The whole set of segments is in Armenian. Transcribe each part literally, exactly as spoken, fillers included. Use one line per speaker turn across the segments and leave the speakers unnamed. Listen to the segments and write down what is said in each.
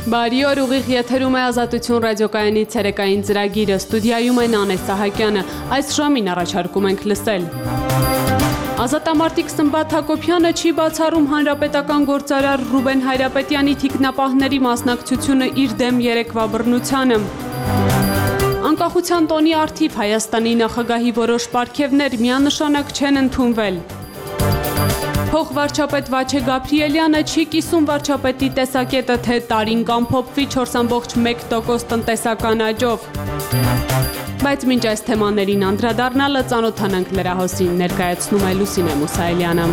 Բարի օր, ուղիղ եթերում է Ազատություն ռադիոկայանի ցերեկային ծրագիրը, ստուդիայում է Նանե Սահակյանը, այս ժամին առաջարկում ենք լսել։ Ազատամարտիկ Սմբատ Հակոբյանը չի բացառում հանրապետական գործարար Ռուբեն Հայրապետյանի թիկնապահների մասնակցությունը իր դեմ երեկվա բռնությանը։ Անկախության տոնի առթիվ Հայաստանի նախագահի որոշ պարգևներ միանշանակ չեն ընդունվել։ Փոխվարչապետ Վաչե Գաբրիելյանը չի կիսում վարչապետի տեսակետը, թե տարին կամփոփվի չորս կόμμα մեկ տոկոս տնտեսական աճով։ Բայց մինչ այս թեմաներին անդրադառնալը ծանոթանանք լրահոսին, ներկայացնում է Լուսինե Մուսայելյանը։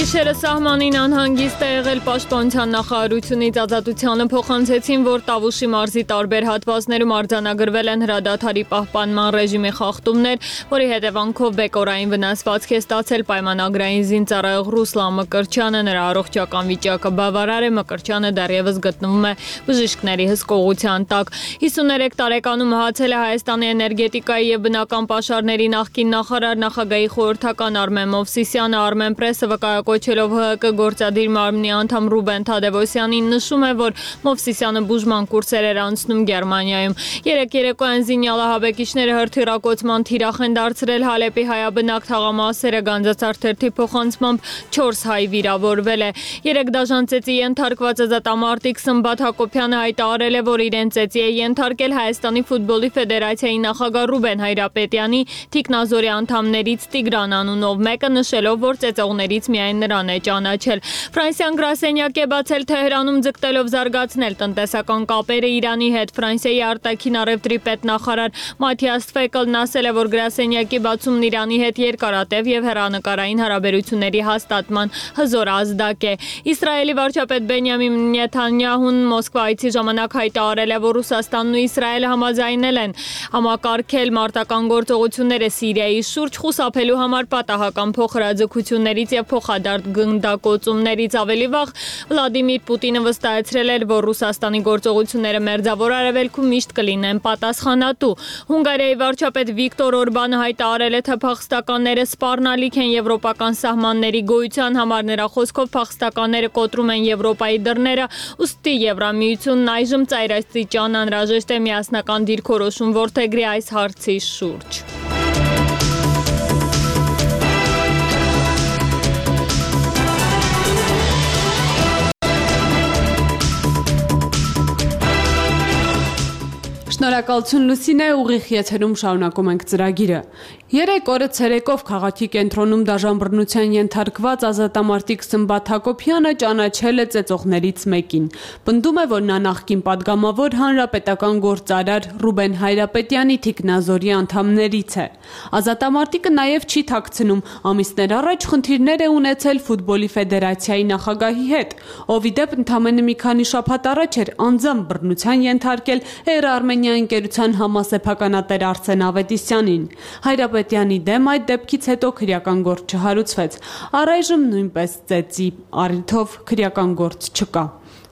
Գիշերը սահմանին անհանգիստ է եղել պաշտպանության նախարարությունից Ազատությանը փոխանցեցին, որ Տավուշի մարզի տարբեր հատվածներում արձանագրվել են հրադադարի պահպանման ռեժիմի խախտումներ, որի հետևանքով բեկորային վնասվածք է ստացել պայմանագրային զինծառայող Ռուսլան Մկրտչյանը, նրա առողջական վիճակը բավարար է, Մկրտչյանը դեռևս գտնվում է բժիշկների հսկողության տակ։ հիսուներեք տարեկանում մահացել է Հայաստանի էներգետիկայի եւ բնական պաշարների նախկին նախարար, նախագահի խորհրդական Արմեն Մովսիսյանը Armen Press-ը վկայակոչելով ՀՀԿ գործադիր մարմնի անդամ Ռուբեն Թադևոսյանին նշում է, որ Մովսիսյանը բուժման կուրսեր էր անցնում Գերմանիայում։ Երեք երեկոյան զինյալահաբեկիչները հրթիռակոծման թիրախ են դարձրել Հալեպի հայաբնակ թաղամասերը, Գանձացարթերթի փոխանցմամբ չորս հայ վիրավորվել է։ Երեք դաժան ծեծի ենթարկված ազատամարտիկ Սմբատ Հակոբյանը հայտարարել է, որ իրեն ծեծի է ենթարկել Հայաստանի ֆուտբոլի ֆեդերացիայի նախագահ Ռուբեն Հայրապետյանի թիկնազորի անդամներից Տիգրան անունով մեկը, նշելով, որ ծեծողներից միայն նրան է ճանաչել։ Ֆրանսիան գրասենյակ է բացել Թեհրանում, ձգտելով զարգացնել տնտեսական կապերը Իրանի հետ։ Ֆրանսիայի արտաքին առևտրի պետնախարար Մաթիաս Ֆեկլն ասել է, որ գրասենյակի բացումն Իրանի հետ երկարատև եւ հեռանկարային հարաբերությունների հաստատման հզոր ազդակ է։ Իսրայելի վարչապետ Բենյամին Նեթանյահուն Մոսկվա այցի ժամանակ հայտարարել է, որ Ռուսաստանն ու Իսրայելը համաձայնել են համակարգել մարտական գործողությունները Սիրիայի շուրջ, խուսափելու համար պատահական փոխհրաձգություններից եւ փոխադարձ գնդակոծումներից։ Ավելի վաղ Վլադիմիր Պուտինը վստահեցրել էր, որ Ռուսաստանի գործողությունները մերձավոր արևելքում միշտ կլինեն պատասխանատու։ Հունգարիայի վարչապետ Վիկտոր Օրբանը հայտարարել է, թե փախստականները սպառնալիք են եվրոպական սահմանների գոյության համար։ Նրա խոսքով փախստականները կոտրում են Եվրոպայի դռները, ուստի Եվրամիությունն այժմ ծայրաստիճան անհրաժեշտ է միասնական դիրքորոշում որդեգրի այս հարցի շուրջ։ Շնորհակալություն Լուսինե, ուղիղ եթերում շարունակում ենք ծրագիրը։ Երեք օրը ցերեկով քաղաքի կենտրոնում դաժան բռնության ենթարկված ազատամարտիկ Սմբատ Հակոբյանը ճանաչել է ծեծողներից մեկին։ Պնդում է, որ նա նախկին падգամավոր հանրապետական գործարար Ռուբեն Հայրապետյանի թիկնազորի անդամներից է։ Ազատամարտիկը նաև չի թաքցնում, ամիսներ առաջ խնդիրներ է ունեցել ֆուտբոլի ֆեդերացիայի նախագահի հետ, ով ի դեպ ընդամենը մի քանի շաբաթ առաջ էր անձամբ բռնության ենթարկել Էր Արմենիա ընկերության համասեփականատեր Արսեն Ավետիսյանին։ Հայրապետյանի դեմ այդ դեպքից հետո քրեական գործ չհարուցվեց։ Առայժմ նույնպես ծեծի առիթով քրեական գործ չկա։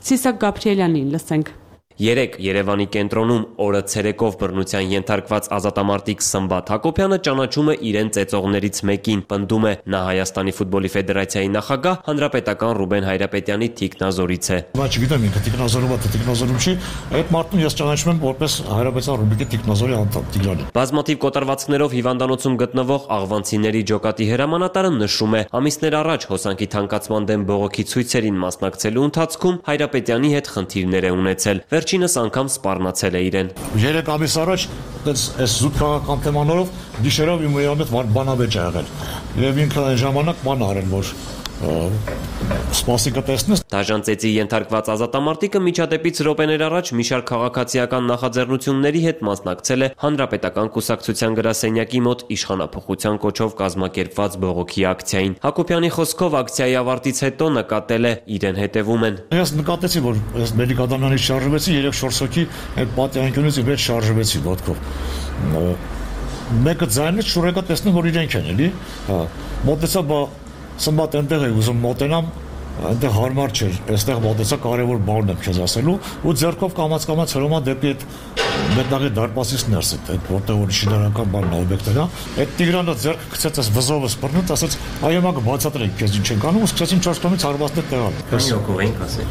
Սիսակ Գաբրիելյանին լսենք։
Երեք Երևանի կենտրոնում օրը ցերեկով բռնության ենթարկված ազատամարտիկ Սմբատ Հակոբյանը ճանաչում է իրեն ծեծողներից մեկին, պնդում է նա Հայաստանի ֆուտբոլի ֆեդերացիայի նախագահ հանրապետական Ռուբեն Հայրապետյանի թիկնազորից է։
Բայց չգիտեմ ինքը թիկնազորում է, թե թիկնազորում չի, այդ մարդուն ես ճանաչում եմ որպես Հայրապետյան Ռուբիկի թիկնազորի անդամ Տիգրանի։
Բազմաթիվ կոտրվածքներով հիվանդանոցում գտնվող աղվանցիների ջոկատի հրամանատարը նշում է, ամիսներ առաջ հոսանքի թանկացման դեմ բողոքի ցույցերին մասնակցելու ընթացքում Հայրապետյանի հետ խնդիրներ է ունեցել։ Վերջինս անգամ սպառնացել է իրեն։
Երեք ամիս առաջ այս զուտ քաղաքական թեմաներով գիշերով իմ հետ բանավեճ ա եղել։ Եվ ինքը այն ժամանակ բան արել, որ սպասիկը տեսնես։
Դաժան ծեծի ենթարկված ազատամարտիկը միջադեպից րոպեներ առաջ մի շարք քաղաքացիական նախաձեռնությունների հետ մասնակցել է Հանրապետական կուսակցության գրասենյակի մոտ իշխանափոխության կոչով կազմակերպված բողոքի ակցիային։ Հակոբյանի խոսքով ակցիայի ավարտից հետո նկատել է իրեն հետևում են։
Ես նկատեցի, որ ես Մերիկադամյանից շարժվեցի, երեք չորս հոգի այդ պատյանքյունից վեր շարժվեցի ոտքով։ Մեկը ձայնից շուրեկա տեսնում, որ իրենք են, էլի։ Հա։ Մոտեցա, բա Սմբատ այնտեղ է ուզում մոտենամ, այնտեղ հարմար չէր, այստեղ մոտեցա կարևոր բանն եմ քեզ ասելու, ու ձեռքով կամաց-կամաց հրոմա դեպի այդ մետաղի դարպասից ներս այդ որտեղ որ շինարարական բանն օբյեկտն է, այդ Տիգրանը ձեռքը գցեց այս վզովը սպռնուց, ասաց այո մա կբացատրենք քեզ ինչ ենք անում, ու սկսեցին չորս կողմից հարվածներ տեղալ։
Քանի հոգով ենք ասել։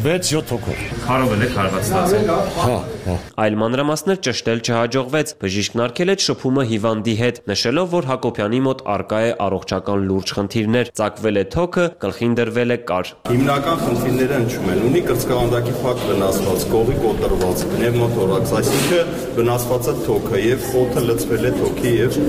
վեց յոթ հոգով։
Քարով էլ հարված ստացել։
Հա, հա։
Այլ մանրամասներ ճշտել չհաջողվեց, բժիշկն արգել է շփումը հիվանդի հետ, նշելով, որ Հակոբյանի մոտ առկա է առողջական լուրջ խնդիրներ, ծակվել է թոքը, գլխին դրվել է կար։
Հիմնական խնդիրները հնչում են, ունի կրծքավանդակի փակ վնասված, կողի կոտրված, պնևմոթորաքս, այսինքն վնասված է թոքը եւ խոթը լցվել է թոքի եւ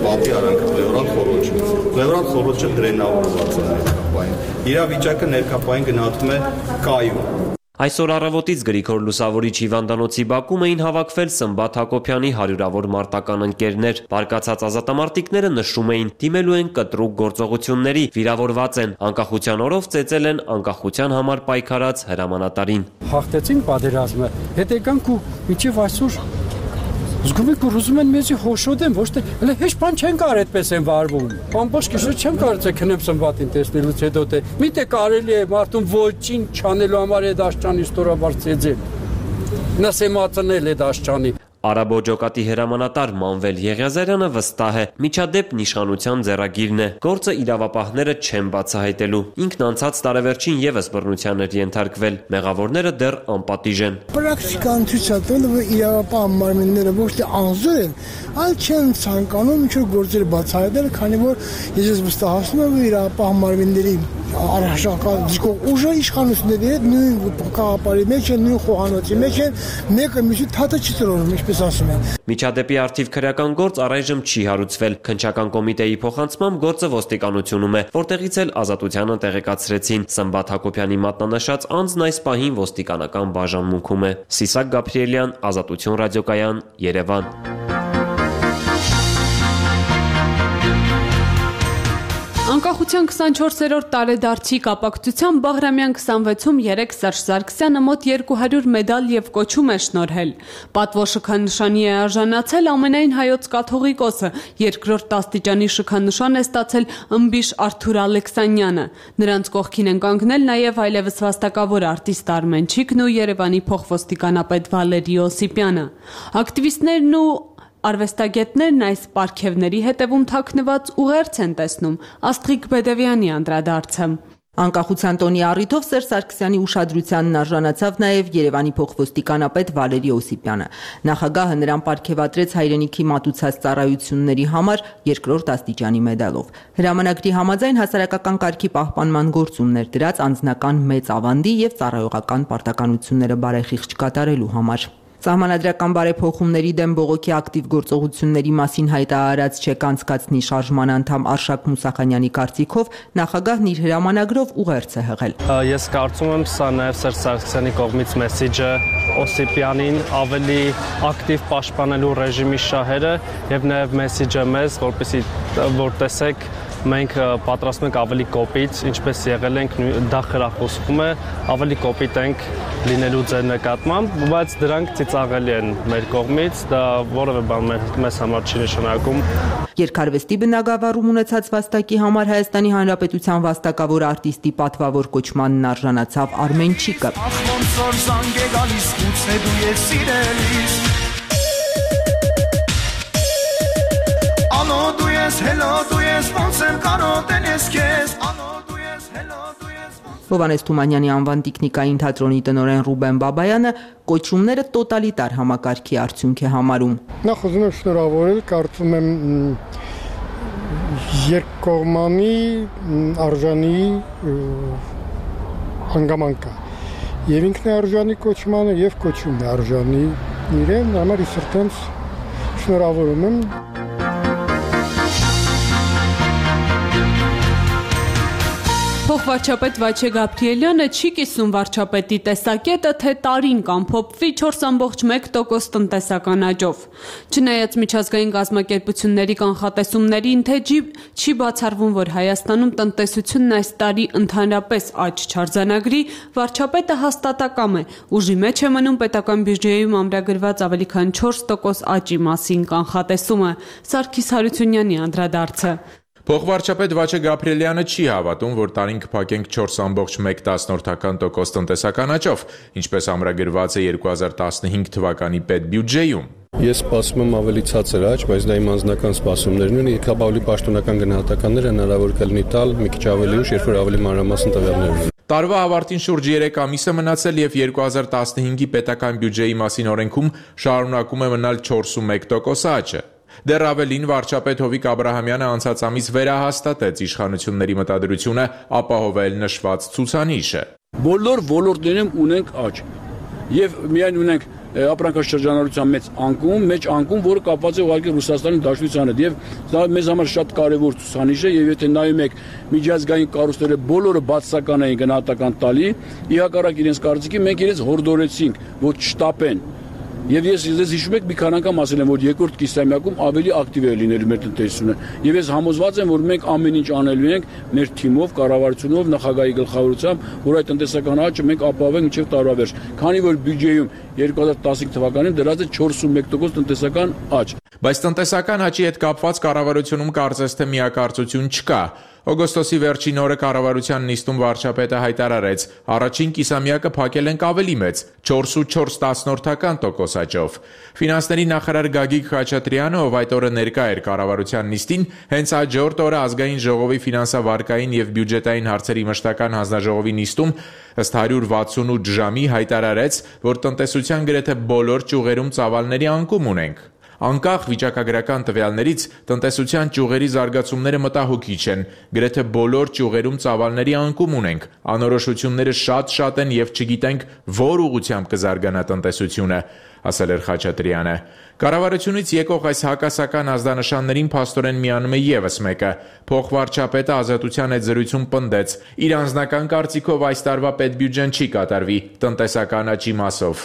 պատի արանքը պլեորալ խոռոչը։ Պլեորալ խոռոչը դրենավորված է ներկապային։ Իրավիճակը ներկապային գնահատվում է կայուն։
Այսօր առավոտից Գրիգոր Լուսավորիչ հիվանդանոցի բակում էին հավաքվել Սմբատ Հակոբյանի հարյուրավոր մարտական ընկերներ։ Բարկացած ազատամարտիկները նշում էին, դիմելու են կտրուկ գործողությունների, վիրավորված են, անկախության օրով ծեծել են անկախության համար պայքարած հրամանատարին։
Հաղթեցին պատերազմը, հետ եկանք ու մինչև այսօր զգում եք, որ ուզում են մեզի հոշոտեն, ոչ թե հələ հեչ բան չեն կար այդպես են վարվում։ Ամբողջ գիշեր չեմ կարծել քնեմ Սմբատին տեսնելուց հետո թե միտե կարելի է մարդուն ոչինչ չանելու համար այդ աշճանի ստորաբար ծեծել։ Նսեմացնել այդ աշճանի։
Արաբո ջոկատի հրամանատար Մանվել Եղիազարյանը վստահ է, միջադեպ իշխանության ձեռագիրն է, գործը իրավապահները չեն բացահայտելու։ Ինքն անցած տարեվերջին եւս բռնության էր ենթարկվել, մեղավորները դեռ անպատիժ են։
Պրակտիկան ցույց է տալու, որ իրավապահ մարմինները ոչ թե անզոր են, այլ չեն ցանկանում ինչ-որ գործեր բացահայտել, քանի որ ես վստահացնում եմ, որ իրավապահ մարմինների առհասարակ դիսկով ուժը իշխանությունների հետ նույն կաղապարի մեջ են, նույն խոհանոցի մեջ են, մեկը մյուսի թաթը չի տրորում, ինչպես ասում են։
Միջադեպի արդիվ քրեական գործ առայժմ չի հարուցվել։ Քննչական կոմիտեի փոխանցմամբ գործը ոստիկանությունում է, որտեղից էլ ազատությանը տեղեկացրեցին։ Սմբատ Հակոբյանի մատնանշած անձն այս պահին ոստիկանական բաժանմունքում է։ Սիսակ Գաբրիելյան, Ազատություն ռադիոկայան, Երևան։
Անկախության քսանչորսերորդ տարեդարձի կապակցությամբ Բաղրամյան քսանվեցում երեկ Սերժ Սարգսյանը մոտ երկու հարյուր մեդալ եւ կոչում է շնորհել։ Պատվո շքանշանի է արժանացել ամենայն հայոց կաթողիկոսը, երկրորդ աստիճանի շքանշան է ստացել ըմբիշ Արթուր Ալեքսանյանը։ Նրանց կողքին են կանգնել նաեւ այլևս վաստակավոր արտիստ Արմեն Չիկն ու Երևանի փոխոստիկանապետ Վալերի Օսիպյանը։ Ակտիվիստներն ու Արվեստագետներն այս պարգևների հետևում թաքնված ուղերձ են տեսնում։ Աստղիկ Բեդևյանի անդրադարձը։
Անկախության տոնի առիթով Սերժ Սարգսյանի ուշադրությանն արժանացավ նաև Երևանի փոխոստիկանապետ Վալերի Օսիպյանը։ Նախագահը նրան պարգևատրեց հայրենիքի մատուցած ծառայությունների համար երկրորդ աստիճանի մեդալով։ Հրամանագրի համաձայն հասարակական կարգի պահպանման գործումներ դրած անձնական մեծ ավանդի եւ ծառայողական պարտականությունները բարեխիղճ կատարելու համար։ Սահմանադրական բարեփոխումների դեմ բողոքի ակտիվ գործողությունների մասին հայտարարած չեք անցկացնի շարժման անդամ Արշակ Մուսախանյանի կարծիքով նախագահն իր հրամանագրով ուղերձ է հղել։
Ես կարծում եմ, սա նաև Սերժ Սարգսյանի կողմից մեսիջը Օսիպյանին ավելի ակտիվ պաշտպանելու ռեժիմի շահերը եւ նաև մեսիջը մեզ, որպեսզի որ տեսեք մենք պատրաստում ենք ավելի կոպիտ, ինչպես եղել ենք, դա խրախուսվում է, ավելի կոպիտ ենք լինելու ձեր նկատմամբ, բայց դրանք ծիծաղելի են մեր կողմից, դա որևէ բան մեզ համար չի նշանակում։
Երկարվեստի բնագավառում ունեցած վաստակի համար Հայաստանի Հանրապետության վաստակավոր արտիստի պատվավոր կոչմանն արժանացավ Արմեն Չիկը։ Հովհաննես Թումանյանի անվան տիկնիկային թատրոնի տնօրեն Ռուբեն Բաբայանը կոչումները տոտալիտար համակարգի արդյունք է համարում։
Նախ ուզում եմ շնորհավորել, կարծում եմ երկկողմանի արժանի հանգամանք կա։ Եվ ինքն է արժանի կոչմանը, եւ կոչումն է արժանի իրեն, համար ես սրտանց շնորհավորում եմ։
Փոխվարչապետ Վաչե Գաբրիելյանը չի կիսում վարչապետի տեսակետը, թե տարին կամփոփվի չորս ամբողջ մեկ տոկոս տնտեսական աճով։ Չնայած միջազգային կազմակերպությունների կանխատեսումներին, թե չի բացառվում, որ Հայաստանում տնտեսությունն այս տարի ընդհանրապես աճ չարձանագրի, վարչապետը հաստատակամ է, ուժի մեջ է մնում պետական բյուջեում ամրագրված ավելի քան չորս տոկոս աճի մասին կանխատեսումը։ Սարգիս Հարությունյանի անդրադարձը։
Փոխվարչապետ Վաչե Գաբրիելյանը չի հավատում, որ տարին կփակենք չորս կόμma մեկ տոկոս տնտեսական աճով, ինչպես ամրագրված է երկու հազար տասնհինգ թվականի պետբյուջեում։
Ես սպասում եմ ավելի ցածր աճ, բայց դա իմ անձնական սպասումներն են, իհարկե ավելի պաշտոնական գնահատականներ հնարավոր կլինի տալ մի քիչ ավելի ուշ, երբ որ ավելի մանրամասն տվյալներ ունեն։
Տարվա ավարտին շուրջ երեք ամիս է մնացել եւ երկու հազար տասնհինգի պետական բյուջեի մասին օրենքում շարունակում է մնալ չորս կόμma մեկ տոկոս աճը։ Դեռ ավելին վարչապետ Հովիկ Աբրահամյանը անցած ամիս վերահաստատեց իշխանությունների մտադրությունը ապահովել նշված ցուցանիշը։
Բոլոր ոլորտներում ունենք աճ եւ միայն ունենք ապրանքաշրջանառության մեծ անկում, մեծ անկում, որը կապված է ուղղակի Ռուսաստանի Դաշնության հետ եւ դա մեզ համար շատ կարեւոր ցուցանիշ է եւ եթե նայում եք միջազգային կառույցները բոլորը բացասական էին գնահատական տալի, ի հակառակ իրենց կարծիքի մենք իրենց հորդորեցինք, որ չշտապեն։ Եվ ես ես հիշում եք մի քանի անգամ ասել եմ, որ երկրորդ կիսամյակում ավելի ակտիվ է լինելու մեր տնտեսությունը։ Եվ ես համոզված եմ, որ մենք ամեն ինչ անելու ենք մեր թիմով, կառավարությունով, նախագահի գլխավորությամբ, որ այդ տնտեսական աճը մենք ապահովենք մինչև տարվա վերջ։ Քանի որ բյուջեում երկու հազար տասնհինգ թվականին դրած է չորս կόμma մեկ տոկոս տնտեսական աճ։
Բայց տնտեսական աճի հետ կապված կառավարությունում կարծես թե միակարծություն չկա։ Օգոստոսի վերջին օրը կառավարության նիստում վարչապետը հայտարարեց. առաջին կիսամյակը փակել ենք ավելի մեծ չորս կόμma չորս տոկոս աճով։ Ֆինանսների նախարար Գագիկ Խաչատրյանը, ով այդ օրը ներկա էր կառավարության նիստին, հենց հաջորդ օրը ազգային ժողովի ֆինանսավարկային եւ բյուջետային հարցերի մշտական հանձնաժողովի նիստում ըստ հարյուր վաթսունութ ժամի հայտարարեց, որ տնտեսության գրեթե բոլոր ճյուղերում ծավալների անկում ունենք։ Անկախ վիճակագրական տվյալներից տնտեսության ճյուղերի զարգացումները մտահոգիչ են։ Գրեթե բոլոր ճյուղերում ծավալների անկում ունենք։ Անորոշությունները շատ-շատ են եւ չգիտենք որ ուղղությամբ կզարգանա տնտեսությունը, ասել էր Խաչատրյանը։ Կառավարությունից եկող այս հակասական ազդանշաններին փաստորեն միանում է եւս մեկը։ Փոխվարչապետը Ազատության հետ զրույցում պնդեց. իր անձնական կարծիքով այս տարվա պետբյուջեն չի կատարվի տնտեսական աճի մասով։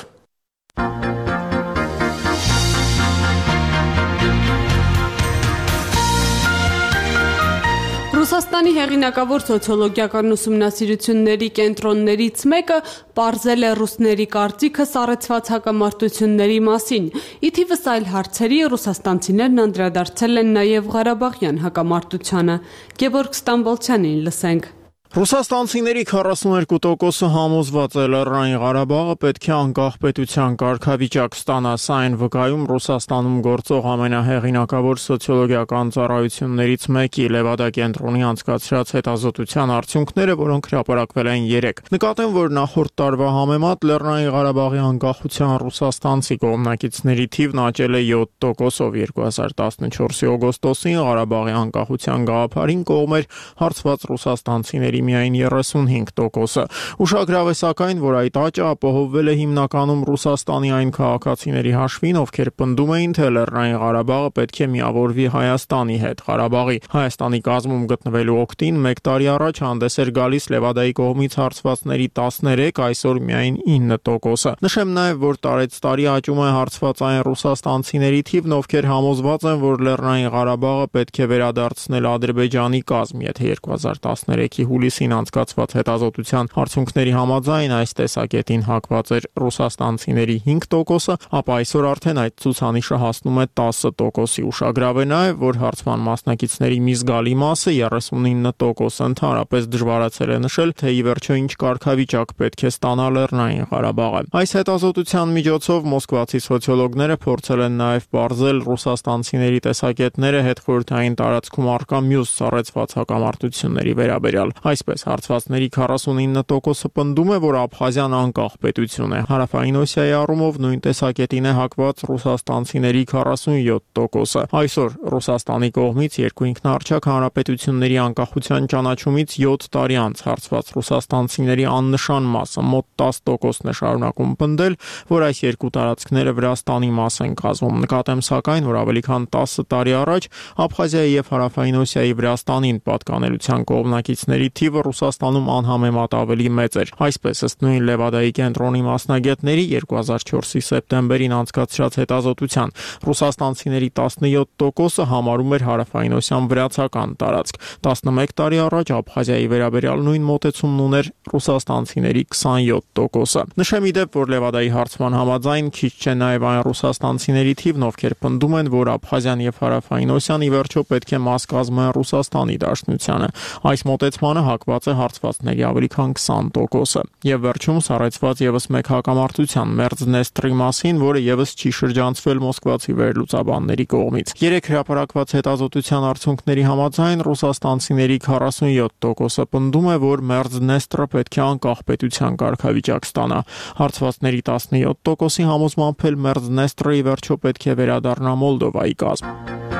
Ռուսաստանի հեղինակավոր սոցիոլոգիական ուսումնասիրությունների կենտրոններից մեկը պարզել է ռուսների կարծիքը սառեցված հակամարտությունների մասին։ Ի թիվս այլ հարցերի ռուսաստանցիներն անդրադարձել են նաև Ղարաբաղյան հակամարտությանը։ Գևորգ Ստամբոլցյանին լսենք։
Ռուսաստանցիների քառասունուերկու տոկոսը համոզված է Լեռնային Ղարաբաղը պետք է անկախ պետության կարգավիճակ ստանա, սա այն վկայում Ռուսաստանում գործող ամենահեղինակավոր սոցիոլոգիական ծառայություններից մեկի Լևադա կենտրոնի անցկացրած հետազոտության արդյունքները, որոնք հրապարակվել են երեկ։ Նկատեմ, որ նախորդ տարվա համեմատ Լեռնային Ղարաբաղի անկախության ռուսաստանցի կողմնակիցների թիվն աճել է յոթ տոկոսով երկու հազար տասնչորսի օգոստոսին Ղարաբաղի անկախության գաղափարին կողմ էր հարցված ռուսաստանցիների միայն երեսունհինգ տոկոսը։ Ուշագրավ է սակայն, որ այդ աճը ապահովվել է հիմնականում Ռուսաստանի այն քաղաքացիների հաշվին, ովքեր պնդում էին, թե Լեռնային Ղարաբաղը պետք է միավորվի Հայաստանի հետ։ Ղարաբաղի Հայաստանի կազմում գտնվելու օգտին մեկ տարի առաջ հանդես էր գալիս Լևադայի կողմից հարցվածների տասներեք, այսօր միայն ինը տոկոսը։ Նշեմ նաև, որ տարեց տարի աճում է հարցված այն ռուսաստանցիների թիվն, ովքեր համոզված են, որ Լեռնային Ղարաբաղը պետք է վերադարձնել Ադրբեջանի կազմ, եթե երկու հազար տասներեքի հուլիսին անցկացված հետազոտության արդյունքների համաձայն այս տեսակետին հակված էր ռուսաստանցիների հինգ տոկոսը, ապա այսօր արդեն այդ ցուցանիշը հասնում է տասը տոկոսի։ Ուշագրավ է նաև, որ հարցման մասնակիցների մի զգալի մասը երեսունինը տոկոս ընդհանրապես դժվարացել է նշել, թե ի վերջո ինչ կարգավիճակ պետք է ստանա Լեռնային Ղարաբաղը։ Այս հետազոտության միջոցով մոսկվացի սոցիոլոգները փորձել են նաև պարզել ռուսաստանցիների տեսակետները հետխորհրդային տարածքում առկա մյուս սառեցված հակամարտությունների վերաբերյալ։ Այսպես հարցվածների քառասունինը տոկոսը պնդում է, որ Աբխազիան անկախ պետություն է։ Հարավային Օսիայի առումով նույն տեսակետին է հակված ռուսաստանցիների քառասունյոթ տոկոսը։ Այսօր Ռուսաստանի կողմից երկու ինքնաառչակ հանրապետությունների անկախության ճանաչումից յոթ տարի անց հարցված ռուսաստանցիների աննշան մասը մոտ տասը տոկոսն է շարունակում պնդել, որ այս երկու տարածքները Վրաստանի մաս են կազմում։ Նկատեմ սակայն, որ ավելի քան տասը տարի առաջ Աբխազիայի եւ Հարավային Օսիայի Վրաստանին պատկանելիության կողմնակիցների թիվը թիվը Ռուսաստանում անհամեմատ ավելի մեծ էր։ Այսպես, ըստ նույն Լևադայի կենտրոնի մասնագետների երկու հազար չորսի սեպտեմբերին անցկացրած հետազոտության, ռուսաստանցիների տասնյոթ տոկոսը համարում էր հարավայնոսյան վրացական տարածք։ տասնմեկ տարի առաջ Աբխազիայի վերաբերյալ նույն մոտեցումն ուներ ռուսաստանցիների քսանյոթ տոկոսը։ Նշեմ ի դեպ, որ Լևադայի հարցման համաձայն քիչ չէ նաև այն ռուսաստանցիների թիվն, ովքեր պնդում են, որ Աբխազիան եւ Հարավայնոսիան ի վերջո պետք է մաս կազմեն Ռուսաստանի Դաշնությանը։ Այս մոտեցմանը հակված է հարցվածների ավելի քան քսան տոկոսը։ Եվ վերջում սառեցված եւս մեկ հակամարտության Մերձնեստրի մասին, որը եւս չի շրջանցվել մոսկվացի վերլուծաբանների կողմից։ Երեք հրապարակված հետազոտության արդյունքների համաձայն ռուսաստանցիների քառասունյոթ տոկոսը պնդում է, որ Մերձնեստրը պետք է անկախ պետության կարգավիճակ ստանա։ Հարցվածների տասնյոթ տոկոսի համոզմամբ էլ Մերձնեստրը ի վերջո պետք է վերադառնա Մոլդովայի կազմ։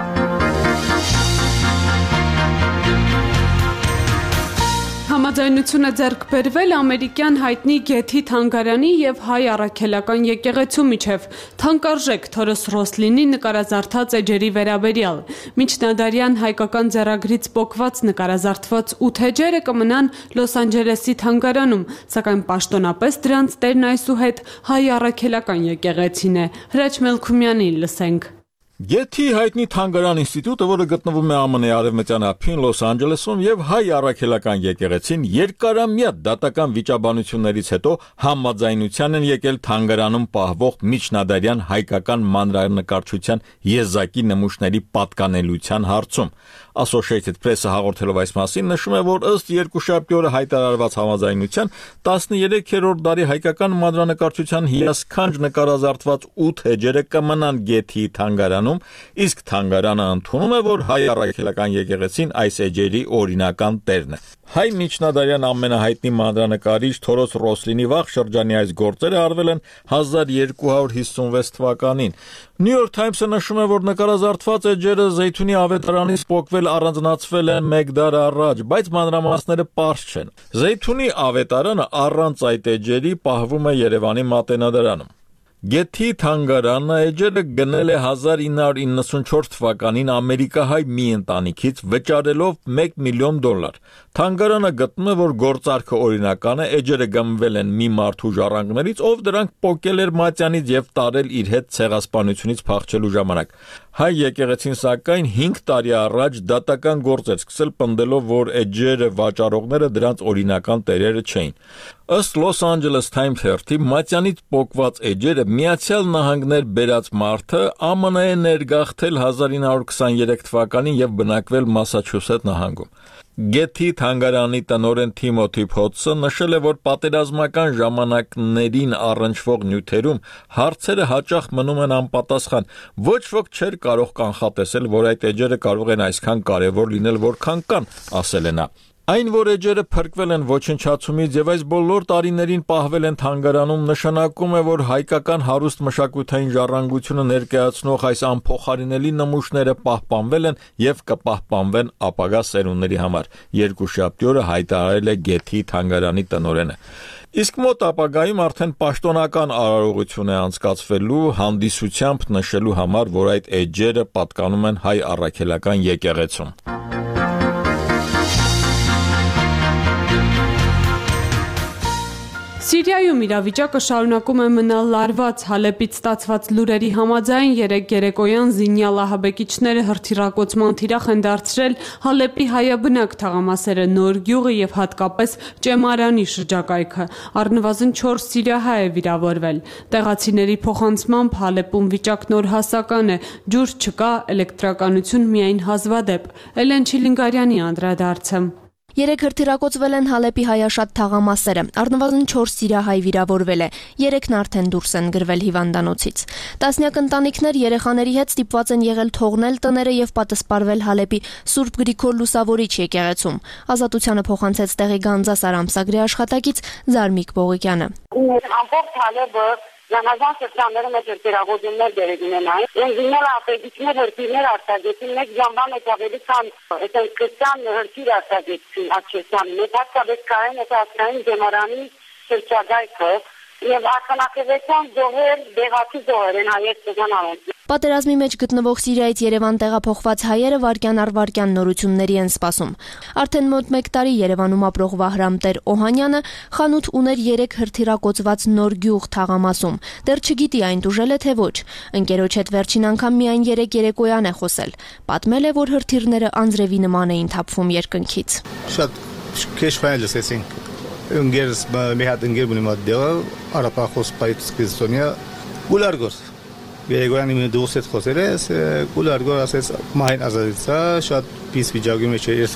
Համաձայնությունը ձեռք բերվել ամերիկյան հայտնի Գեթի թանգարանի եւ հայ առաքելական եկեղեցու միջև թանկարժեք Թորոս Ռոսլինի նկարազարդած էջերի վերաբերյալ։ Միջնադարյան հայկական ձեռագրից պոկված նկարազարդված ութ էջերը կմնան Լոս Անջելեսի թանգարանում, սակայն պաշտոնապես դրանց տերն այսուհետ հայ առաքելական եկեղեցին է։ Հրաչ Մելքումյանին լսենք։
Գեթի հայտնի թանգարան ինստիտուտը, որը գտնվում է ԱՄՆ-ի արևմտյան ափին Լոս Անջելեսում, եւ հայ առաքելական եկեղեցին երկարամյա դատական վիճաբանություններից հետո համաձայնության են եկել թանգարանում պահվող միջնադարյան հայկական մանրանկարչության եզակի նմուշների պատկանելիության հարցում։ Associated Press-ը հաղորդելով այս մասին նշում է, որ ըստ երկուշաբթի օրը հայտարարված համաձայնության տասներեքերորդ դարի հայկական մանրանկարչության հիասքանչ նկարազարդված ութ էջերը կմնան Գեթի թանգարանում, իսկ թանգարանը ընդունում է, որ հայ առաքելական եկեղեցին այս էջերի օրինական տերն է։ Հայ միջնադարյան ամենահայտնի մանրանկարիչ Թորոս Ռոսլինի վաղ շրջանի այս գործերը արվել են հազար երկու հարյուր հիսունվեց թվականին։ New York Times-ը նշում է, որ նկարազարդված էջերը Զեյթունի ավետարանից պոկվել առանձնացվել են մեկ դար առաջ, բայց մանրամասները պարզ չեն։ Զեյթունի ավետարանը առանց այդ էջերի պահվում է Երևանի Մատենադարանում։ Գեթի թանգարանը էջերը գնել է հազար ինը հարյուր իննսունչորդ թվականին ամերիկահայ մի ընտանիքից վճարելով մեկ միլիոն դոլար։ Թանգարանը գտնում է, որ գործարքը օրինական է, էջերը գնվել են մի մարդու ժառանգներից, ով դրանք պոկել էր մատյանից եւ տարել իր հետ ցեղասպանությունից փախչելու ժամանակ։ Հայ եկեղեցին սակայն հինգ տարի առաջ դատական գործ էր սկսել պնդելով, որ էջերը վաճառողները դրանց օրինական տերերը չէին։ Ըստ Los Angeles Times թերթի մատյանից պոկված էջերը Միացյալ Նահանգներ բերած մարդը ԱՄՆ է ներգաղթել հազար ինը հարյուր քսաներեք թվականին եւ բնակվել Մասաչուսեթ նահանգում։ Գեթի թանգարանի տնօրեն Թիմոթի Փոթսը նշել է, որ պատերազմական ժամանակներին առնչվող նյութերում հարցերը հաճախ մնում են անպատասխան։ Ոչ ոք չէր կարող կանխատեսել, որ այդ էջերը կարող են այսքան կարևոր լինել, որքան կան, ասել է նա։ Այն, որ էջերը փրկվել են ոչնչացումից եւ այս բոլոր տարիներին պահվել են թանգարանում, նշանակում է, որ հայկական հարուստ մշակութային ժառանգությունը ներկայացնող այս անփոխարինելի նմուշները պահպանվել են եւ կպահպանվեն ապագա սերունդների համար։ Երկուշաբթի օրը հայտարարել է Գեթի թանգարանի տնօրենը։ Իսկ մոտ ապագայում արդեն պաշտոնական արարողություն է անցկացվելու հանդիսությամբ նշելու համար, որ այդ էջերը պատկանում են հայ առաքելական եկեղեցում։
Սիրիայում իրավիճակը շարունակում է մնալ լարված։ Հալեպից ստացված լուրերի համաձայն երեկ երեկոյան զինյալ ահաբեկիչները հրթիռակոծման թիրախ են դարձրել Հալեպի հայաբնակ թաղամասերը Նոր գյուղը եւ հատկապես Ճեմարանի շրջակայքը։ Առնվազն չորս սիրիահայ է վիրավորվել։ Տեղացիների փոխանցմամբ Հալեպում վիճակն օրհասական է, ջուր չկա, էլեկտրականություն միայն հազվադեպ։ Էլեն Չիլինգարյանի անդրադարձը։
Երեք հրթիռակոծվել են Հալեպի հայաշատ թաղամասերը։ Առնվազն չորս սիրիահայ վիրավորվել է։ Երեքն արդեն դուրս են գրվել հիվանդանոցից։ Տասնյակ ընտանիքներ երեխաների հետ ստիպված են եղել թողնել տները եւ պատասպարվել Հալեպի Սուրբ Գրիգոր Լուսավորիչ եկեղեցում։ Ազատությանը փոխանցեց տեղի Գանձասար ամսագրի աշխատակից Զարմիկ Բողիկյանը։
Ամբողջ Հալեպը Զանազան սրտանները մեջ հրթիռակոծումներ դերեգին են այն։ Ինժեներ ապեդիչներ հրթիռներ արտագեցին, մեկ ժամվան մեջ ավելի քան այսպես քրիստիան հրթիռ արտագեցին Աչեսյան։ Մեծ հատկապես կային այս ասկային Ճեմարանի շրջակայքը եւ արքանակեվեցան զոհեր, դեղացի զոհեր են հայեր ծանոթ։
Պատերազմի մեջ գտնվող Սիրիայից Երևան տեղափոխված հայերը վայրկյան առ վայրկյան նորությունների են սպասում։ Արդեն մոտ մեկ տարի Երևանում ապրող Վահրամ Տեր Օհանյանը խանութ ուներ երեք հրթիռակոծված նոր գյուղ Թաղամասում։ Դեռ չգիտի այն դուժել է թե ոչ։ Ընկերոջ հետ վերջին անգամ միայն երեք երեկոյան է խոսել։ Պատմել է, որ հրթիռները անձրևի նման էին թափվում երկնքից։
Շատ քեշ ֆայլ լսեցինք։ Ընկերս մի հատ ընկեր ունի մատդեղը, արապախոս պայց կիզոնիա գուլարգոս։ Երեկոյանի մի դուրս հետ խոսել ես, գուլարգոր ասեց մահին ազատեցա, շատ պիս վիճակի մեջ էր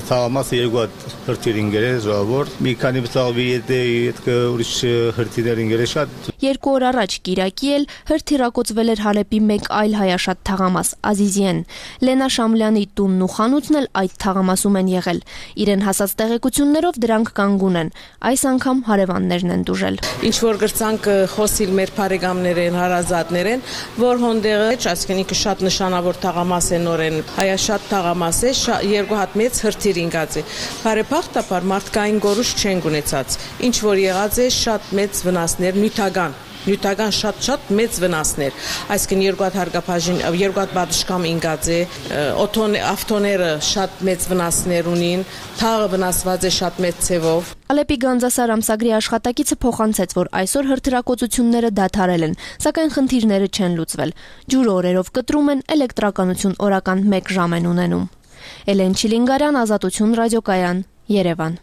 Թաղամասը երկու հատ հրթիռ ինգերել զորավոր, մի քանի բծաղվի եթե եթե ուրիշ հրթիռներ ինգերել շատ։
Երկու օր առաջ Կիրակի էլ հրթիռակոծվել էր Հալեպի մեկ այլ հայաշատ թաղամաս Ազիզիեն։ Լենա Շամլյանի տունն ու խանութն էլ այդ թաղամասում են եղել։ Իրեն հասած տեղեկություններով դրանք կանգուն են։ Այս անգամ հարևաններն են դուժել։
Ինչ որ գրցանք խոսիլ մեր բարեկամներեն, հարազատներ են, որ հոնդեղը, այսինքն շատ նշանավոր թաղամաս է նորեն, հայաշատ թաղամաս է, երկու հատ մեծ հրթիռ ինգած է։ Բարեփոխտաբար մարդկային գորուշ չեն ունեցած։ Ինչ որ եղած է շատ մեծ վնասներ, նյութական նյութական շատ-շատ մեծ վնասներ, այսինքն երկու հատ հարգապաշին, երկու հատ բադշկամ ինգած է, օթոն ավտոները շատ մեծ վնասներ ունին, թաղը վնասված է շատ մեծ ցևով։
Ալեպի Գանձասար ամսագրի աշխատակիցը փոխանցեց, որ այսօր հրթիռակոծությունները դադարել են, սակայն խնդիրները չեն լուծվել։ Ջուրը օրերով կտրում են, էլեկտրականություն օրական մեկ ժամ են ունենում։ Էլեն Չիլինգարյան, Ազատություն ռադիոկայան, Երևան։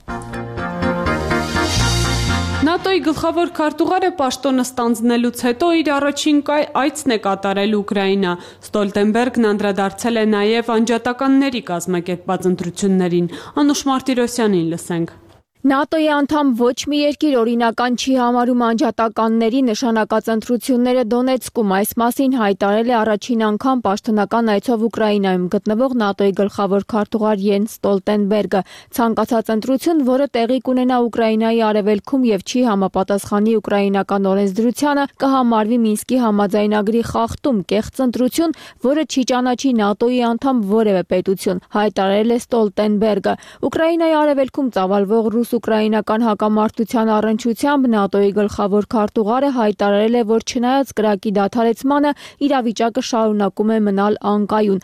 ՆԱՏՕ-ի գլխավոր քարտուղարը պաշտոնը ստանձնելուց հետո իր առաջին այցն է կատարել Ուկրաինա։ Ստոլտենբերգն անդրադարձել է նաև անջատականների կազմակերպած ընտրություններին։ Անուշ Մարտիրոսյանին լսենք։
ՆԱՏՕ-ի անդամ ոչ մի երկիր օրինական չի համարում անջատականների նշանակած ընտրությունները Դոնեցկում։ Այս մասին հայտարարել է առաջին անգամ պաշտոնական այցով Ուկրաինայում գտնվող ՆԱՏՕ-ի գլխավոր քարտուղար Յենս Ստոլտենբերգը։ Ցանկացած ընտրություն, որը տեղի կունենա Ուկրաինայի արևելքում եւ չի համապատասխանի ուկրաինական օրենսդրությանը, կհամարվի Մինսկի համաձայնագրի խախտում, կեղծ ընտրություն, որը չի ճանաչի ՆԱՏՕ-ի անդամ որևէ պետություն, հայտարարել է Ստոլտենբերգը։ Ուկրաինայի արևելքում ծավալվող ռուս ուկրաինական հակամարտության առնչությամբ ՆԱՏՕ-ի գլխավոր քարտուղարը հայտարարել է, որ չնայած կրակի դադարեցմանը իրավիճակը շարունակում է մնալ անկայուն։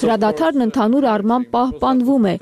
Հրադադարն ընդհանուր առմամբ պահպանվում է։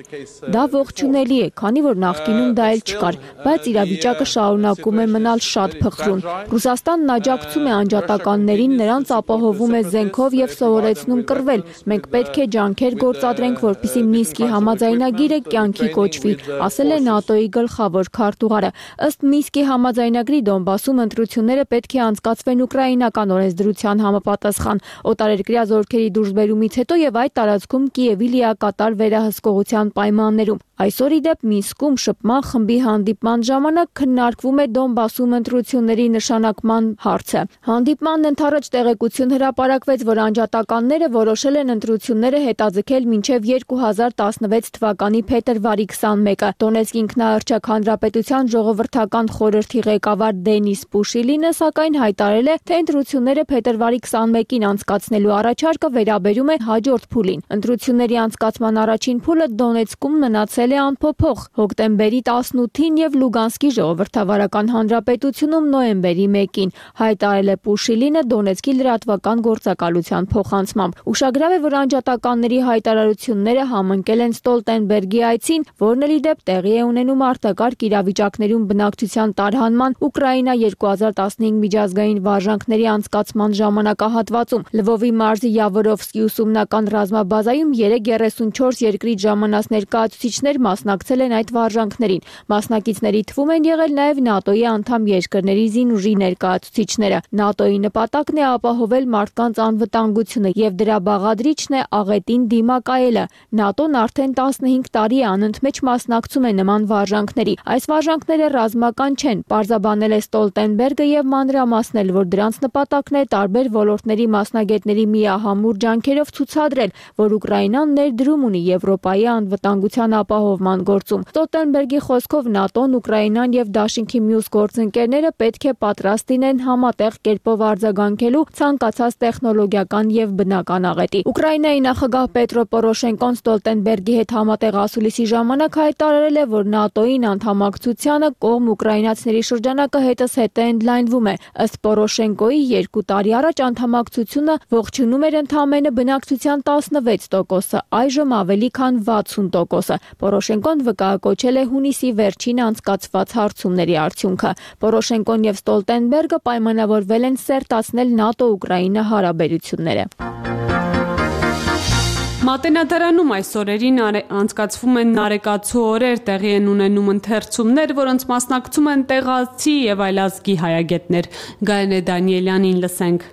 Դա ողջունելի է, քանի որ նախկինում դա էլ չկար, բայց իրավիճակը շարունակում է մնալ շատ փխրուն։ Ռուսաստանն աջակցում է անջատականներին, նրանց ապահովում է զենքով եւ սովորեցնում կռվել։ Մենք պետք է ջանքեր գործադրենք, որպեսզի Մինսկի համաձայնագիրը կյանքի կոչվի, ասել է ՆԱՏՕ-ի գլխավոր քարտուղարը։ Ըստ Մինսկի համաձայնագրի Դոնբասում ընտրությունները պետք է անցկացվեն ուկրաինական օրենսդրության համապատասխան։ Օտարերկրյա զորքերի դուրսբերումից հետո եւ այդ տարածքում Կիևի լիակատար վերահսկողության պայմաններում։ Այսօր ի դեպ Մինսկում շփման խմբի հանդիպման ժամանակ քննարկվում է Դոնբասում ընտրությունների նշանակման հարցը։ Հանդիպմանն ընդառաջ տեղեկություն հրապարակվեց, որ անջատականները որոշել են ընտրությունները հետաձգել մինչև երկու հազար տասնվեց թվականի փետրվարի քսանմեկը։ Դոնեցկ ինքնաարչակ հանրապետության ժողովրդական խորհրդի ղեկավար Դենիս Պուշիլինը սակայն հայտարարել է, թե ընտրությունները փետրվարի քսանմեկին անցկացնելու առաջարկը վերաբերում է հաջորդ փուլին։ Ընտրությունների անցկացման առաջին փուլը Դոնեցկում մնացել է անփոփոխ հոկտեմբերի տասնութին եւ Լուգանսկի ժողովրդավարական հանրապետությունում նոյեմբերի մեկին, հայտարարել է Պուշիլինը Դոնեցկի լրատվական գործակալության փոխանցմամբ։ Ուշագրավ է, որ անջատականների հայտարարությունները համընկել են Ստոլտենբերգի այցին, որն էլ ի դեպ տեղի է ունենում արտակարգ իրավիճակներում բնակչության տարհանման Ուկրաինա երկու հազար տասնհինգ միջազգային վարժանքների անցկացման ժամանակահատվածում։ Լվովի մարզի Յավորովսկի ուսումնական ռազմաբազայում երեք երեսունչորս երկրից ժամանած ներկայացուցիչներ մասնակցել են այդ վարժանքներին։ Մասնակիցների թվում են եղել նաև ՆԱՏՕ-ի անդամ երկրների զինուժի ներկայացուցիչները։ ՆԱՏՕ-ի նպատակն է ապահովել մարդկանց անվտանգությունը եւ դրա բաղադրիչն է աղետին դիմակայելը։ ՆԱՏՕ-ն արդեն տասնհինգ տարի է անընդմեջ մասնակցում է նման վարժանքների։ Այս վարժանքները ռազմական չեն, պարզաբանել է Ստոլտենբերգը եւ մանրամասնել, որ դրանց նպատակն է տարբեր ոլորտների մասնագետների միահամուռ ջանքերով ցուցադրել, որ Ուկրաինան ներդրում ունի Եվրոպայի անվտանգության ապահովման գործում։ Ստոլտենբերգի խոսքով ՆԱՏՕ-ն, Ուկրաինան եւ Դաշինքի մյուս գործընկերները պետք է պատրաստ լինեն համատեղ կերպով արձագանքելու ցանկացած տեխնոլոգիական եւ բնական աղետի։ Ուկրաինայի նախագահ Պետրո Պորոշենկոն Ստոլտենբերգի հետ համատեղ
ասուլիսի ժամանակ հայտարարել է, որ ՆԱՏՕ-ին անդամակցությանը կողմ ուկրաինացիների շրջանակը հետզհետե ընդլայնվում է։ Ըստ Պորոշենկոյի երկու տարի առաջ անդամակցությունը ողջունում էր ընդամենը բնակչության տասնվեց տոկոսը, այժմ ավելի քան վաթսուն տոկոսը։ Պորոշենկոն վկայակոչել է հունիսի վերջին անցկացված հարցումների արդյունքը։ Պորոշենկոն եւ Ստոլտենբերգը պայմանավորվել են սերտացնել ՆԱՏՕ-Ուկրաինա հարաբերությունները։
Մատենադարանում այս օրերին անցկացվում են նարեկացու օրեր, տեղի են ունենում ընթերցումներ, որոնց մասնակցում են տեղացի եւ այլազգի հայագետներ։ Գայանե Դանիելյանին լսենք։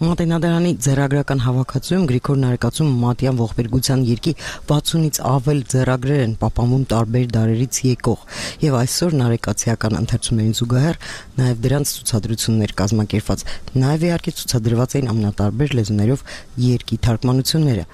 Մատենադարանի ձեռագրական հավաքածուում Գրիգոր Նարեկացու մատյան ողբերգության երկի վաթսունից ավել ձեռագրեր են պահպանվում տարբեր դարերից եկող եւ այսօր նարեկացիական ընթերցումներին զուգահեռ նաեւ դրանց ցուցադրություններ կազմակերպված, նաեւ իհարկե ցուցադրված էին ամենատարբեր լեզուներով երկի թարգմանությունները։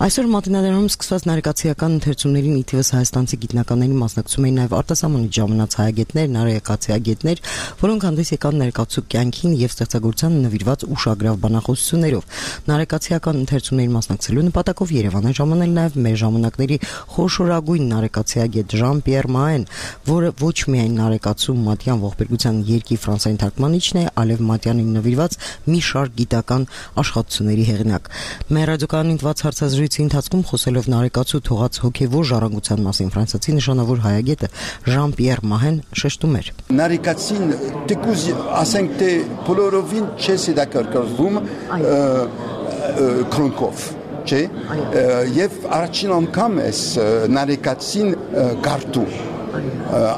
Այսօր Մատենադարանում սկսված նարեկացիական ընթերցումներին ի թիվս հայաստանցի գիտնականների մասնակցում էին նաեւ արտասահմանից ժամանած հայագետներ, նարեկացիագետներ, որոնք հանդես եկան նարեկացու կյանքին եւ ստեղծագործությանը նվիրված ուշագրավ բանախոսություններով։ Նարեկացիական ընթերցումներին մասնակցելու նպատակով Երևան է ժամանել նաև մեր ժամանակների խոշորագույն նարեկացիագետ Ժան-Պիեր Մահեն, որը ոչ միայն նարեկացու մատյան ողբերգության երկի ֆրանսային թարգմանիչն է, այլև մատյանին նվիրված մի շարք գիտական աշխատությունների հեղինակ։ Մեր ռադիոկայանի ընդված հարցազրույցի ընթացքում խոսելով նարեկացու թողած հոգևոր ժառանգության մասին ֆրանսիացի նշանավոր հայագետը Ժան-Պիեր Մահեն շեշտում էր.
Նարեկացին դեկուզ ասենք թե բոլորովին չես հետաքրքրվում քրոնկով, չէ՞։ Եվ առաջին անգամ ես նարեկացին գարտում։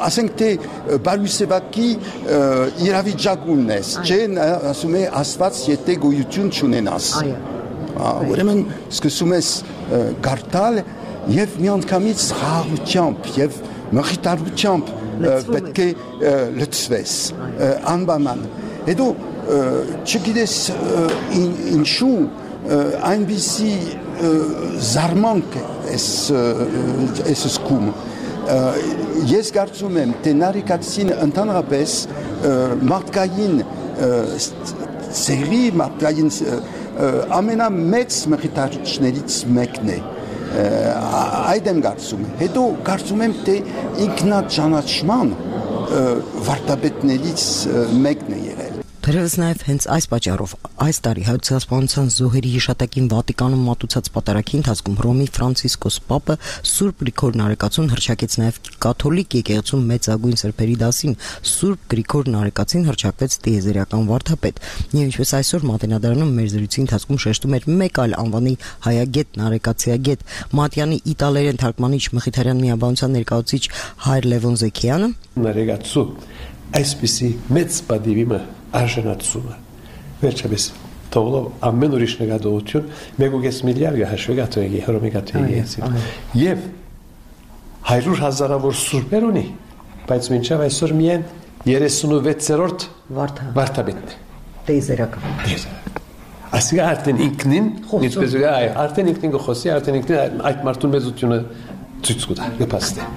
Ասենք թե բարույսեվակի իրավիճակում ես, չէ՞, ասում է Աստված եթե գոյություն չունենաս։ Ուրեմն սկսում ես գարտալ եւ միանգամից խաղաղությամբ եւ մխիթարությամբ պետք է լցվես անբանան։ Հետո չգիտես ինչու այնպիսի զարմանք ես զգում։ Ես կարծում եմ, թե նարեկացին ընդհանրապես մարդկային ծերի, մարդկային ամենամեծ մխիթարիչներից մեկն է։ Այդ եմ կարծում։ Հետո կարծում եմ, թե ինքնաճանաչման վարդապետներից մեկն է եղել։
Թերևս նաև հենց այս պատճառով այս տարի հայոց ցեղասպանության զոհերի հիշատակին Վատիկանում մատուցած պատարագի ընթացքում Հռոմի Ֆրանցիսկոս Պապը Սուրբ Գրիգոր Նարեկացուն հռչակեց նաև կաթոլիկ եկեղեցու մեծագույն սրբերի դասին։ Սուրբ Գրիգոր Նարեկացին հռչակվեց տիեզերական վարդապետ։ Եվ ինչպես այսօր Մատենադարանում մեր զրույցի ընթացքում շեշտում էր մեկ այլ անվանի հայագետ, նարեկացիագետ, Մատյանի իտալերեն թարգմանիչ Մխիթարյան միաբանության ներկայացուցիչ հայր Լևոն Զեքիյանը
Նարեկացու այսպիսի մեծ պատիվը արժանացումը վերջապես թողնով ամեն ուրիշ նկատողություն մեկ ու կես միլիարդ հաշվի կաթողիկի հռոմի կաթողիկի եւ հարյուր հազարավոր սուրբեր ունի, բայց մինչև այսօր միայն երեսունվեցերորդ վարդապետն է
տիեզերական։
Ասիկա արդեն ինքնին ինչպես է արդեն ինքնին գխոսի արդեն ինքնին այդ մարդուն մեծությունը ցույց կտա կպաստե։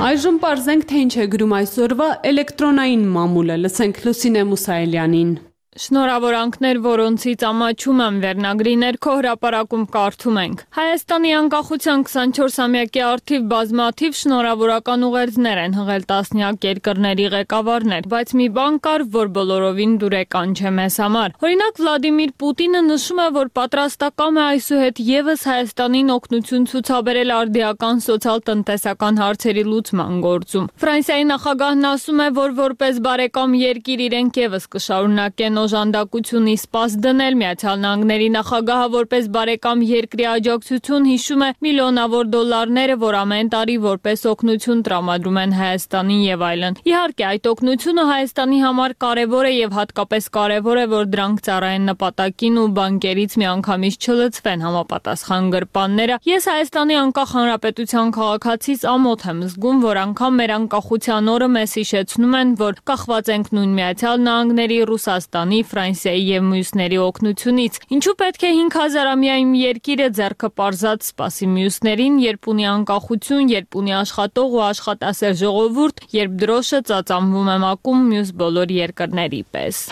Այժմ պարզենք, թե ինչ է գրում այսօրվա էլեկտրոնային մամուլը, լսենք Լուսինե Մուսայելյանին։
Շնորհավորանքներ, որոնցից ամաչում եմ վերնագրի ներքո հրապարակում կարդում ենք։ Հայաստանի անկախության քսանչորսամյակի առթիվ բազմաթիվ շնորհավորական ուղերձներ են հղել տասնյակ երկրների ղեկավարներ, բայց մի բան կար, որ բոլորովին դուրեկան չէ մեզ համար։ Օրինակ Վլադիմիր Պուտինը նշում է, որ պատրաստակամ է այսուհետ եւս Հայաստանին օգնություն ցուցաբերել արդիական սոցիալ-տնտեսական հարցերի լուծման գործում։ Ֆրանսիայի նախագահն ասում է, որ որպես բարեկամ երկիր իրենք եւս կշարունակեն օժանդակություն իսպաս դնել։ Միացյալ Նահանգների նախագահը որպես բարեկամ երկրի աջակցություն հիշում է միլիոնավոր դոլարները, որ ամեն տարի որպես օգնություն տրամադրում են Հայաստանին եւ այլն։ Իհարկե, այդ օգնությունը Հայաստանի համար կարեւոր է եւ հատկապես կարեւոր է, որ դրանք ծառայեն նպատակին ու բանկերից միանգամից չլցվեն համապատասխան գրպանները։ Ես Հայաստանի անկախ հանրապետության քաղաքացիս ամոթ եմ զգում, որ անգամ մեր անկախության օրը մեզ հիշեցնում են, որ կախված ենք նույն Միացյալ Նահանգների, Ռուսաստանի, Ֆրանսիայի եւ մյուսների օգնությունից։ Ինչու պետք է հինգ հազարամյա իմ երկիրը ձեռքը պարզած սպասի մյուսներին, երբ ունի անկախություն, երբ ունի աշխատող ու աշխատասեր ժողովուրդ, երբ դրոշը ծածանվում է մակում մյուս բոլոր երկրների պես։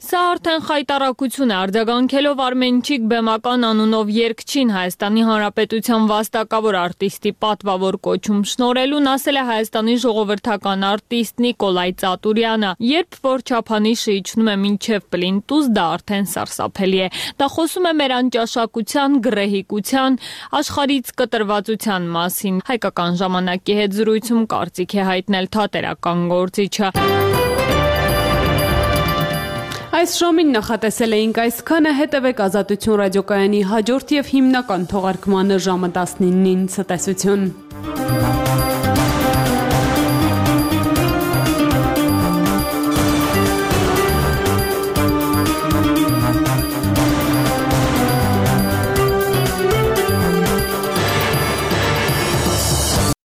Սա արդեն խայտարակություն է, արձագանքելով Արմենչիկ Բեմական անունով երգչին Հայաստանի Հանրապետության վաստակավոր արտիստի պատվավոր կոչում շնորհելուն ասել է Հայաստանի ժողովրդական արտիստ Նիկոլայ Ծատուրյանը. երբ որ չափանիշը իջնում է մինչև պլինտուզ, դա արդեն սարսափելի է։ Դա խոսում է մեր անճաշակության, գռեհիկության, աշխարհից կտրվածության մասին։ Հայկական ժամանակի հետ զրույցում կարծիք է հայտնել թատերական գործիչը։
Այս ժամին նախատեսել էինք այսքանը, հետևեք Ազատություն ռադիոկայանի հաջորդ եւ հիմնական թողարկմանը ժամը տասնինին ցտեսություն։